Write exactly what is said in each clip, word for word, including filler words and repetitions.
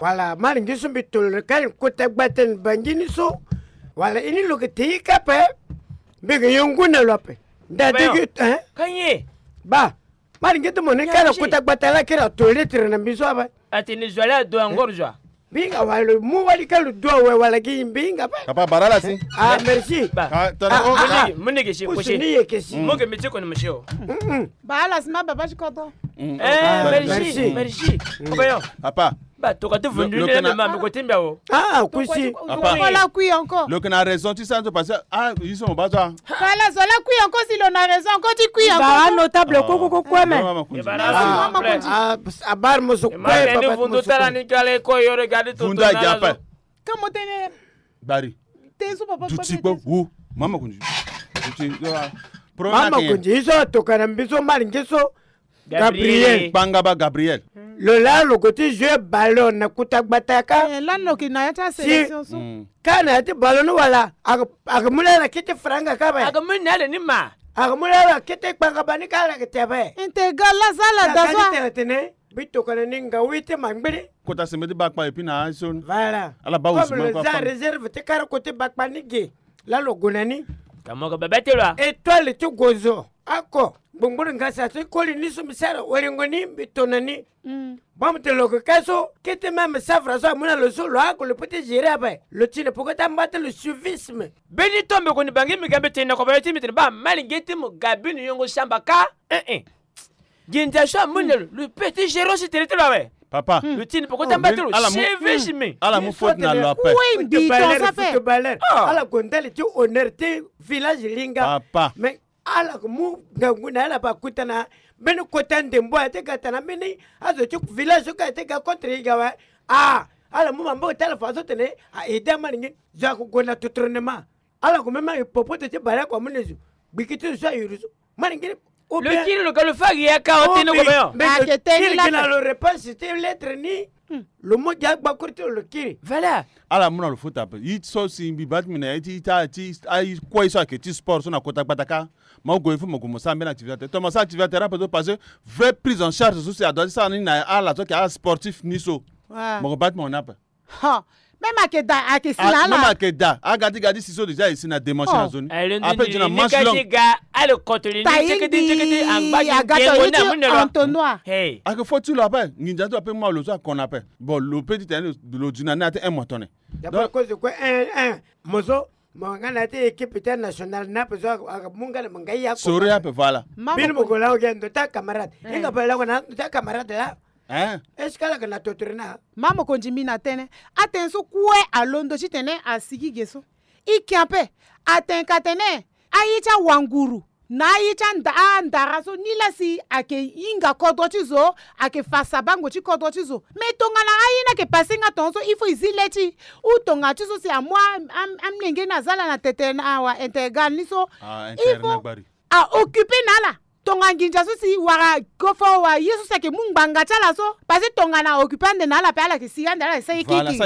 Wala, mari ngi so mbi tolo kani kota gbata ni bangi ni so. Wala, ini lo ke te ika pe. Mbi ke yongu na lo ape. Nda digi, hein? Kanye. Ba. Mari ngi te mo ni kara kota gbata la kira to lettre na mbi so ape. Ati ni zwa la do encore zwa. Mbi hinga wala mu wali ka lo do awe wala gi mbi hinga pe. Papa, bara ala si. Ah, merci. Ba. Ah, tala, ah, oh, ah, ah. Muni ke si, kusi ni ye ke si. Mo ke miti ko ni mo si o. Mm, mm. Ba ala si ma baba si koto. Mm. Eh, ah, merci, merci. Merci. Mm. Kobayo. Papa. Ba, to ka ti vundu ni na ma, ko ti mbia wo. Ah, kusi. Papa. Lo ke na raison ti sa nzo parce que, ah, ils sont bas toi. Voilà, zola kui encore si lo na raison, encore ti kui encore. Ba notable ko ko ko ko me. Ah, ah, ah, bar mo so ko papa. Vundu tala ni kale ko yo regarde to. Vundu a ga pa. Kamo tene. Bari. Te so papa. Duti ko wo. Mama kunji. Duti. Mama kunji, iso to kana mbiso mari ngeso. Gabriel. Gabriel. Kpangaba Gabriel. Lo laa lo ko ti jouer ballon na kuta gbata ka. Eh, lani lo yeke na ya ti asélection so. Mm. Ka na ya ti ballon ni wala, a ke, a ke mu laa ala kete franga ka ape. A ke mu na ala ni ma. A ke mu laa ala kete kpangaba ni ka ala ke te ape. Intégrale la za ala da so. Tene tene, mbi tokana ni nga wi ti mangbiri. Kota sembe ti bakpa et puis na aye so ni. Voilà. Ala baa. Comme lo za réserve ti kara kota bakpa ni ge. Laa lo gue na ni. Ka mo yeke bebe ti lo a. Étoile ti gozo. Oko. Ngbongboro ngasa ti koli ni so mbi sara waringo ni mbi to na ni. Mm. Bamutene lo yeke ka so kete même safara so amu na lo so lo oko lo peut ti gérer ape. Lo tene poko ti amba ti lo suivisme. Mbeni to mbi koni bangi mbi ga mbi tene na kobayo ti mbi tene baa malingeti mo ga bino yongo samba ka. Eh eh. Nginza so amu na lo, lo peut ti gérer aussi tere ti lo awe. Papa. Lo tini poko ti amba ti lo. Ala mu, suivisme. Ala mu faute na lo ape. Footballeur, footballeur. Ala gue ndali ti honneur ti village linga. Papa. Mais ala ko mu ngangu na ala ba kota na mbeni kota ndembo aye ti ga tana mbeni azo ti village so ka aye ti ga contre ye ga awe. Ah, ala mu maboko ti ala fa so tene a aider amani ngi zo ako gue na totournement. Ala ko même aye popo ti bale ako amu na zo. Gbiki ti zo so ayuru so. Mani ngiri. Lo kiri lo ka lo fa gi ya ka o tene ko be yo. Ake teni la. Kiri na lo réponse ti lettre ni. Lo mo gi agbakuru ti lo lo kiri. Voilà. Ala mu na lo fota ape. Ye ti so si mbi baa ti mbi na ye ti, ti, ti, aye kue so ayeke ti sport so na kota gbata ka. Mo gue il faut mo gue mo sara mbeni activité. To mo sara activité ape so parce que vraie prise en charge so si adoit ti sara ni na ala so ayeke asportif ni so. Mo ko baa ti mo na ape. Ha. Même ayeke da, ayeke si na ala. Même ayeke da. Aga ti ga ti si so déjà e si na dimanche na zo ni. Après ti na manche longue. Tayindi, aga tayindi ti entonnoir. Ayeke fo ti lo ape. Nginza ti lo ape mu na lo so akon na ape. Bon, lo peut ti tene lo du na ni ate un mois tone. D'après cause kue, un, un. Mo so, mo nga na ya ti équipe ti nationale ni ape so ayeke mu nga na mo nga ye akon. Sori ape, voilà. Bini mo ko la oge ndo ti acamarade. Hinga pe la ko na ndo ti acamarade la. Hein? Est-ce que ala ga na totore na? Ma mokonzi mbi na tënë. Atënë so kue alondo titene asigi ge so. Ike ape. Atene ka tene aye ti awanguru na aye ti anda, andara so ni la si ayeke hinga kodro ti zo, ayeke fa sabango ti kodro ti zo. Mais tongana aye ni ayeke passé nga tongaso il faut e zi le ti ou tonga ti so si amu a, a, amolenge ni aza ala na tete na awa intégrale ni so. Ah, il faut a occuper na ala. Tonga nginza so si wara gofo wa ye so si ayeke mu ngbanga ti ala so. Parce que tongana occupé ande na ala pe ala yeke si ande ala yeke sa ye kiki.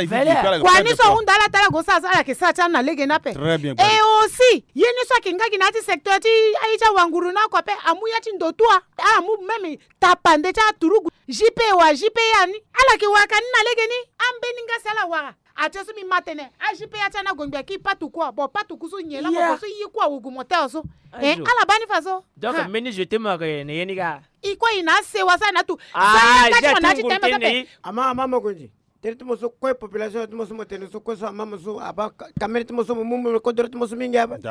Kua ni so ahunda ala ti ala go sara so ala yeke sara ti ala na lege ni ape. Et aussi ye ni so ayeke nga gi na ya ti secteur ti aye ti awanguru na oko ape amu ya ti ndo tua. Ala mu même tapande ti aturugu J P wa J P ya ni ala yeke wara ka ni na lege ni. Ambeni nga si ala wara. Atie so mbi ma tene a J P ya ti ana gongbia ki patuku a. Bon, patuku so nyen laa mo ko so ye kue awogo mo teo so. Eh, ala baa ni fa so. Donc mbeni jeu ti mo ayeke na ye ni ga. I kue i na asewa so na atu. Ah, za ya nga ti mo na ya ti tene so ape. Ama, ama mokonzi. Tere ti mo so kue population ti mo so mo tene so kue so ama mo so abaa kamere ti mo so mo mu mo kodoro ti mo so mingi ape.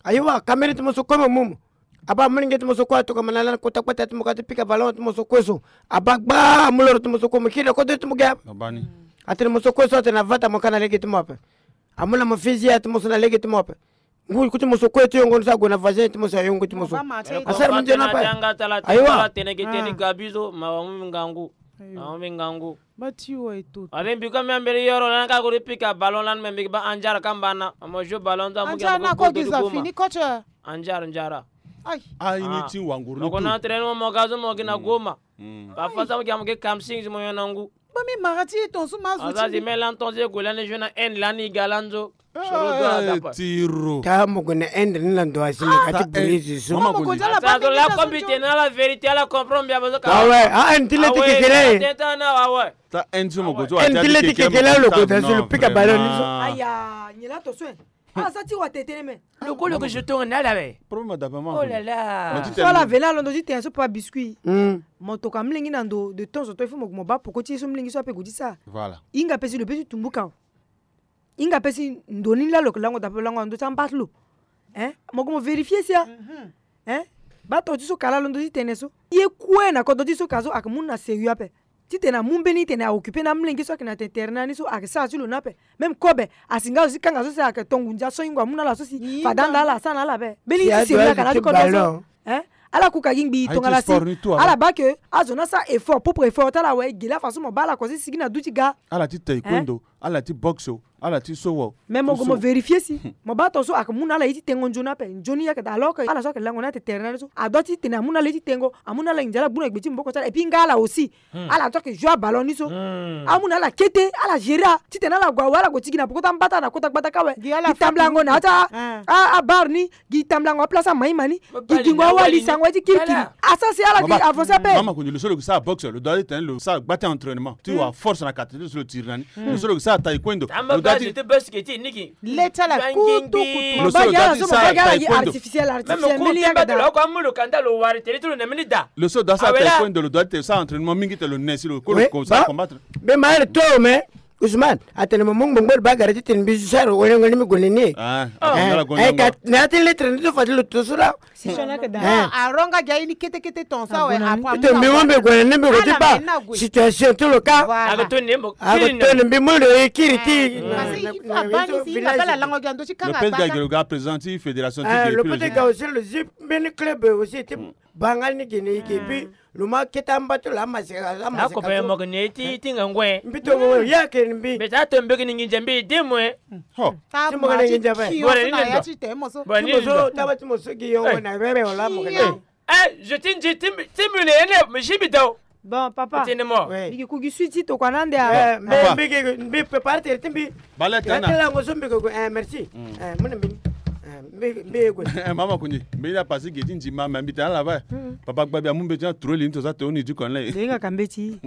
Ayiwa, kamere ti mo so kue mo mu mo. Abaa molenge ti mo so kue atokama na ala na kota kpata ti mo ka ti pika ballon ti mo so kue so. Abaa gbaa amoloro ti mo so kue mo kiri na kodoro ti mo ge ape. Atene mo so kue so atene avata mo ka na lege ti mo ape. Amu na mo fizia ti mo so na lege ti mo ape. Ngu ku ti mo so kue ti yongo ni so ague na vagin ti mo so ayongo ti mo so. Asara mo nzoni ape. Ayiwa. Atene ge teni gabi so ma wa mu mingangu. Awa mingangu. Ba ti wa eto. Are mbi ka mi ambere yoro lani ka kuri pika ballon lani me mbi ba anjara kamba na. Amo jo ballon za mu ki amo ko do goma. Anjara na ko giza fini coach. Anjara, njara. Ai. Ai ni ti wanguru ni. Ko na entraînement mo ga zo mo gi na goma. Ba fa sa mo gi amo ke kamsing mo yo na ngu. Ba mi mara ti ton su ma zo ti. Aza zi me lan ton zi go lani jo na en lani ga lan zo. Tiro. Ta mo gue na Inde ni na ndo asi ni ka ti brise so. Mama Kondi. Azo la kombi tene na la vérité, ala comprendre bien, bazo ka. Ah ouais, ah, Inde ti le ti kekele. Tene na, ah ouais. Ta Inde so mo go ti wa. Inde ti le ti kekele, lo go da so lo pika ballon ni so. Aya, nyen la to so. Ah, sa ti wa tetene me. Lo ko lo ko je tourne na la we. Problème adaptement. Oh là là. So ala vena londo ti tene so pa biscuit. Mo toka mlenge na ndo, de temps en temps il faut mo, mo baa poko ti ye so mlenge so ape go ti sara. Voilà. Hinga pe si lo pe ti tumbuka. Hinga pe si ndo ni laa lo yeke lango daa pe lango na ndö ti amba ti lo. Hein? Mo gue mo vérifier si a. Hein? Baa to ti so ka laa londo ti tene so. Ye kue na kodro ti so ka so ayeke mu na sérieux ape. Titene amu mbeni titene a occuper na amolenge so ayeke na tene tere na ni so ayeke sara ti lo ni ape. Même kobe asi nga zo ti kanga so si ayeke to ngu ndia so hingo amu na ala so si fade anda ala asara na ala ape. Mbeni ti sérieux ayeke na ya ti kodro so. Hein? Ala kuka gi ngbii tongana si ala baa ke azo ni asara effort, propre effort ti ala awe, e ge laa façon mo baa ala kua si sigi na du ti ga. Ala ti taekwondo, ala ti boxe, ala ti sowa. Mais mo gue mo vérifier si mo baa to so ayeke mu na ala ye ti tengo nzoni ape. Nzoni ayeke daa alors que ala so ayeke lango ni atene tere na ni so a doit titene amu na ala ye ti tengo, amu na ala nginza, ala gbu na gbe ti maboko ti ala. Et puis nga ala aussi, ala doit que joue aballon ni so. Amu na ala kete, ala gérer a titene ala gue awe, ala gue ti gi na poko ti amba ti ala na kota gbata kâ awe. Gi tambulango na ya ti a, a, abar ni. Gi tambulango aplace amai ma ni. Gi gingo awali sango ti kirikiri. Asara si ala gi avancer ape. Mama Kondi, lo so lo gi sara boxe, lo doit ti tene lo sara gba ti entraînement ti wa force na kate ti lo so lo tiri na ni. Lo so lo gi sara taekwondo, lo doit ti. Le ti ala kutukutu. Lo so lo doit ti sara taekwondo. Artificiel, artificiel. Lo so lo doit ti sara taekwondo, lo doit ti sara entraînement mingi titene lo ne si lo ko lo ko sara combattre. Mbi ma ere to me. Ousmane atene mo mu ngbongboro bagara titene mbi zo sara orengo ni mbi gue na ni. Ah, ah, eh, ka na ya ti lettre ni so fade lo to so laa. Si so na yeke daa. Ah, aronga gi aye ni kete kete ton so awe. Titene mbi mu mbi gue na ni mbi gue ti baa situation ti lo ka. Voilà. Ake toni mbi mu lo ye kiri ti. Parce que il faut abaa ni si nga baa la lango gi ando ti kanga. Lo pede ga gi lo ga président ti fédération ti. Ah, lo pede ga aussi lo zi mbeni club aussi ti. Banga ni gene ike, puis lo ma kete amba ti lo amaseka, amaseka. Akopere mo gene ti, ti ngangu e. Mbi to mo ya ke mbi. Mbi ta to mbi gene nginza mbi di mo e. Ho. Ti mo gene nginza mbi. Bora ni ndo. Ti mo so taba ti mo so gi yongo na rere wala mo gene. Eh, je ti nzi ti mbi, ti mbi ne ene, mbi si mbi dao. Bon, papa. Tene mo. Oui. Mbi gi ku gi suite ti tokua na ande a. Eh, mbi, mbi gi, mbi prépare tere ti mbi. Bale tana. Ya ti lango so mbi gue gue, eh, merci. Eh, mo ne mbi. Eh, mbi, mbi gue. Eh, mama Kondi, mbi na pasi gi ti nzi ma, mais mbi tana la va. Papa Gbabi amu mbi ti na tro li ni to sa to ni du kon la. Denga ka mbi ti.